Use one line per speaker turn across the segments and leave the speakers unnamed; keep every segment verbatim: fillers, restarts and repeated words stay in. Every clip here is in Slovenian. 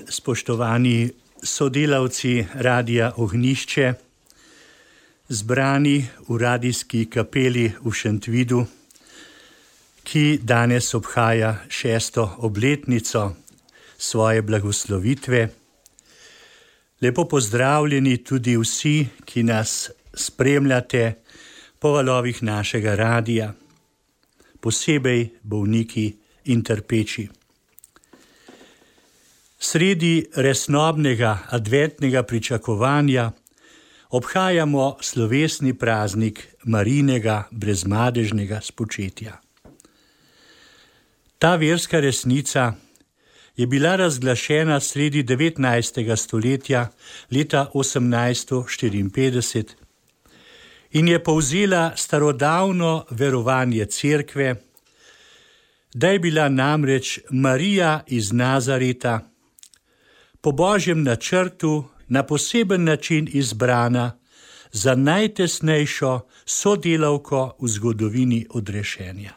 spoštovani sodelavci Radia Ognjišče, zbrani v radijski kapeli v Šentvidu, ki danes obhaja šesto obletnico svoje blagoslovitve. Lepo pozdravljeni tudi vsi, ki nas spremljate po valovih našega radija, posebej bolniki in trpeči. Sredi resnobnega adventnega pričakovanja obhajamo slovesni praznik Marijinega brezmadežnega spočetja. Ta verska resnica je bila razglašena sredi devetnajstega stoletja leta osemnajststo štiriinpetdeset in je povzela starodavno verovanje cerkve, da je bila namreč Marija iz Nazareta po Božjem načrtu na poseben način izbrana za najtesnejšo sodelavko v zgodovini odrešenja.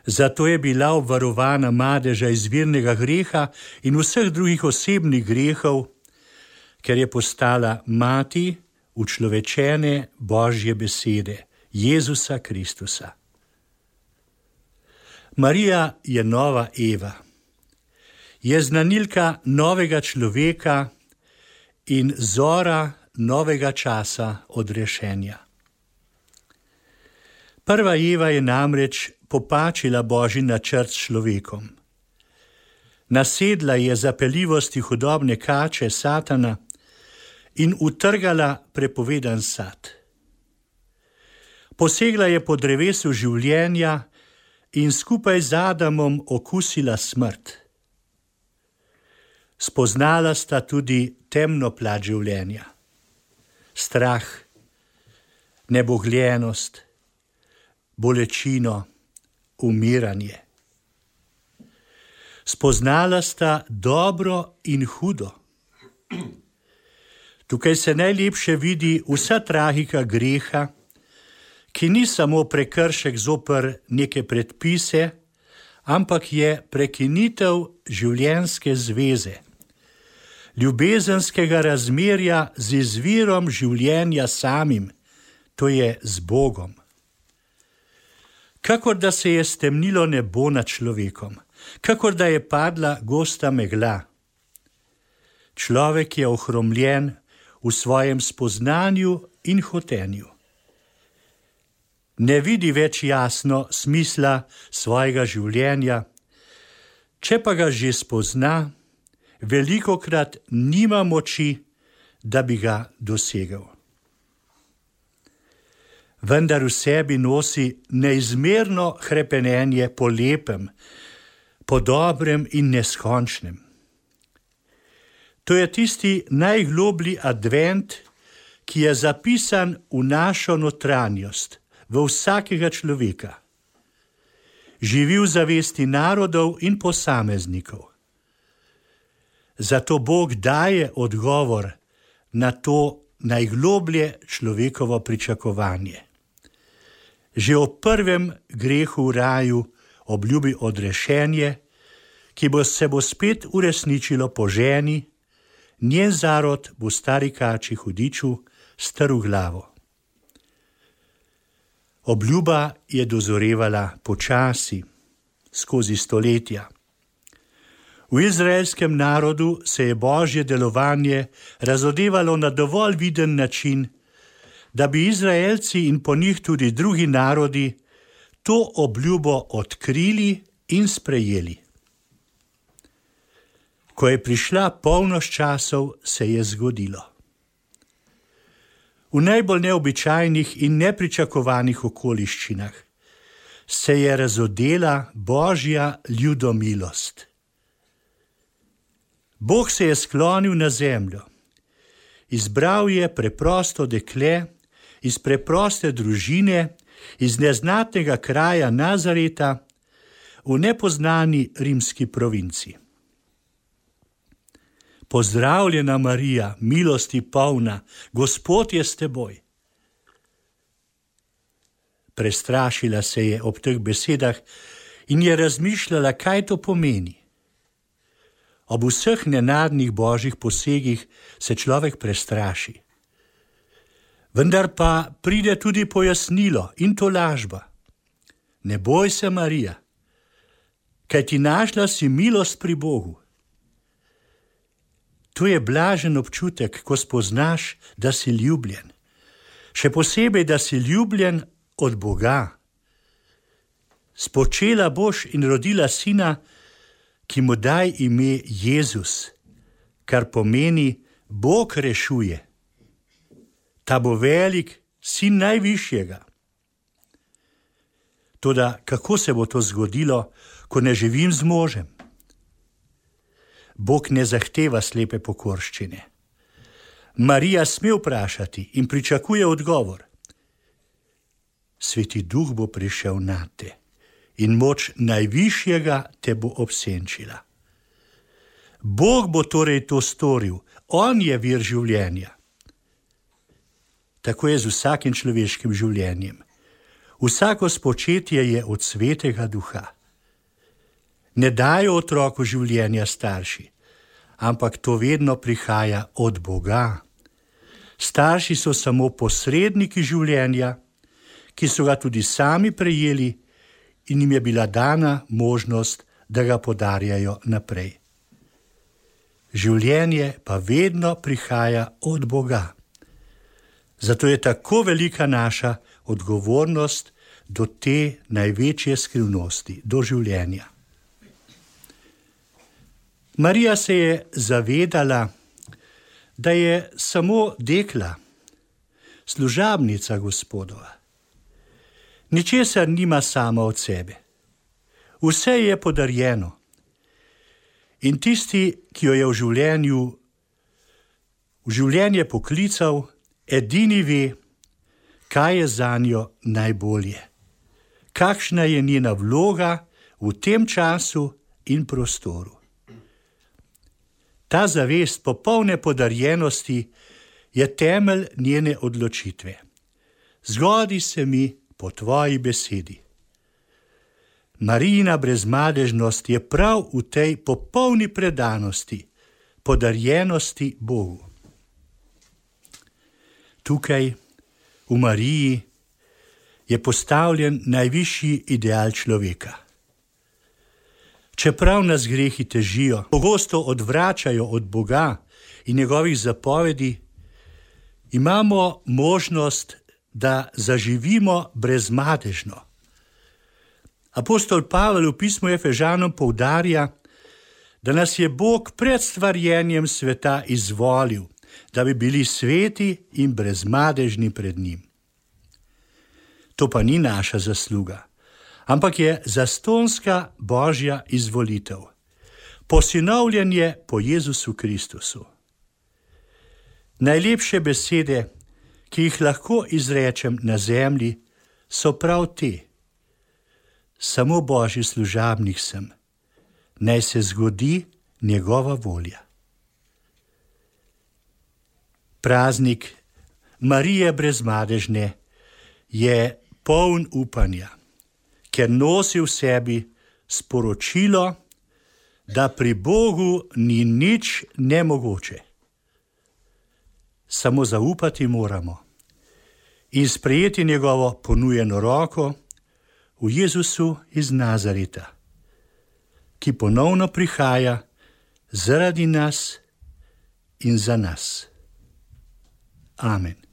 Zato je bila obvarovana madeža izvirnega greha in vseh drugih osebnih grehov, ker je postala mati učlovečene Božje besede, Jezusa Kristusa. Marija je nova Eva. Je znanilka novega človeka in zora novega časa odrešenja. Prva Eva je namreč popačila Božji načrt s človekom. Nasedla je zapeljivosti hudobne kače Satana in utrgala prepovedan sad. Posegla je po drevesu življenja in skupaj z Adamom okusila smrt. Spoznala sta tudi temno plat življenja, strah, nebogljenost, bolečino, umiranje. Spoznala sta dobro in hudo. Tukaj se najlepše vidi vsa tragika greha, ki ni samo prekršek zoper neke predpise, ampak je prekinitev življenjske zveze, ljubezenskega razmerja z izvirom življenja samim, to je z Bogom. Kakor da se je stemnilo nebo nad človekom, kakor da je padla gosta megla. Človek je ohromljen v svojem spoznanju in hotenju. Ne vidi več jasno smisla svojega življenja, če pa ga že spozna, velikokrat nima moči, da bi ga dosegel. Vendar v sebi nosi neizmerno hrepenenje po lepem, po dobrem in neskončnem. To je tisti najgloblji advent, ki je zapisan v našo notranjost, v vsakega človeka. Živi v zavesti narodov in posameznikov. Zato Bog daje odgovor na to najgloblje človekovo pričakovanje. Že o prvem grehu v raju obljubi odrešenje, ki bo se bo spet uresničilo po ženi, njen zarod bo stari kači hudiču staru glavo. Obljuba je dozorevala počasi, skozi stoletja. V izraelskem narodu se je Božje delovanje razodevalo na dovolj viden način, da bi Izraelci in po njih tudi drugi narodi to obljubo odkrili in sprejeli. Ko je prišla polnoč časov, se je zgodilo. V najbolj neobičajnih in nepričakovanih okoliščinah se je razodela Božja ljudomilost. Bog se je sklonil na zemljo. Izbral je preprosto dekle iz preproste družine, iz neznatnega kraja Nazareta v nepoznani rimski provinci. Pozdravljena Marija, milosti polna, Gospod je s teboj. Prestrašila se je ob teh besedah in je razmišljala, kaj to pomeni. Ob vseh nenadnih božjih posegih se človek prestraši. Vendar pa pride tudi pojasnilo in tolažba. Ne boj se, Marija, kaj ti našla si milost pri Bogu. To je blažen občutek, ko spoznaš, da si ljubljen. Še posebej, da si ljubljen od Boga. Spočela boš in rodila sina, ki mu daj ime Jezus, kar pomeni Bog rešuje. Ta bo velik, sin najvišjega. Toda kako se bo to zgodilo, ko ne živim z možem? Bog ne zahteva slepe pokorščine. Marija sme vprašati in pričakuje odgovor. Sveti Duh bo prišel nate in moč najvišjega te bo obsenčila. Bog bo torej to storil, on je vir življenja. Tako je z vsakim človeškim življenjem. Vsako spočetje je od Svetega Duha. Ne dajo otroku življenja starši, ampak to vedno prihaja od Boga. Starši so samo posredniki življenja, ki so ga tudi sami prejeli in jim je bila dana možnost, da ga podarjajo naprej. Življenje pa vedno prihaja od Boga. Zato je tako velika naša odgovornost do te največje skrivnosti, do življenja. Marija se je zavedala, da je samo dekla, služabnica Gospodova. Ničesar nima sama od sebe. Vse je podarjeno. In tisti, ki jo je v življenju, v življenje poklical, edini ve, kaj je zanjo najbolje. Kakšna je njena vloga v tem času in prostoru. Ta zavest popolne podarjenosti je temelj njene odločitve. Zgodi se mi po tvoji besedi. Marijina brezmadežnost je prav v tej popolni predanosti, podarjenosti Bogu. Tukaj, v Mariji, je postavljen najvišji ideal človeka. Čeprav nas grehi težijo, pogosto odvračajo od Boga in njegovih zapovedi, imamo možnost, da zaživimo brezmadežno. Apostol Pavel v pismu Efežanom poudarja, da nas je Bog pred stvarjenjem sveta izvolil, da bi bili sveti in brezmadežni pred njim. To pa ni naša zasluga, ampak je zastonska Božja izvolitev, posinovljenje po Jezusu Kristusu. Najlepše besede, ki jih lahko izrečem na zemlji, so prav te. Samo Božji služabnik sem, naj se zgodi njegova volja. Praznik Marije brezmadežne je poln upanja, ker nosi v sebi sporočilo, da pri Bogu ni nič nemogoče. Samo zaupati moramo in sprejeti njegovo ponujeno roko v Jezusu iz Nazareta, ki ponovno prihaja zaradi nas in za nas. Amen.